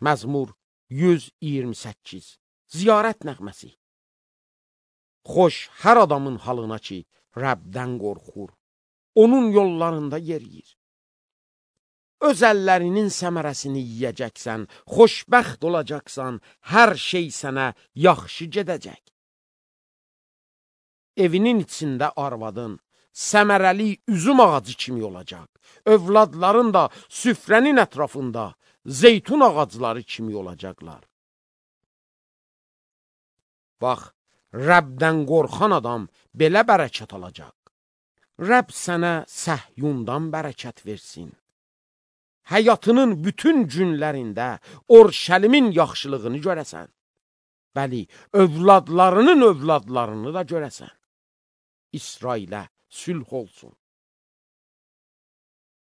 Məzmur 128. Ziyarət nəğməsi. Xoş hər adamın halına ki, Rəbdən qorxur, onun yollarında yeriyir. Öz əllərinin səmərəsini yiyəcəksən, xoşbəxt olacaqsan, hər şey sənə yaxşı gedəcək. Evinin içində arvadın səmərəli üzüm ağacı kimi olacaq. Övladların da süfrənin ətrafında zeytun ağacları kimi olacaqlar. Bax, Rəbdən qorxan adam belə bərəkət alacaq. Rəbb sənə Səhyundan bərəkət versin. Həyatının bütün günlərində Orşəlimin yaxşılığını görəsən. Bəli, övladlarının övladlarını da görəsən. İsrailə sülh olsun.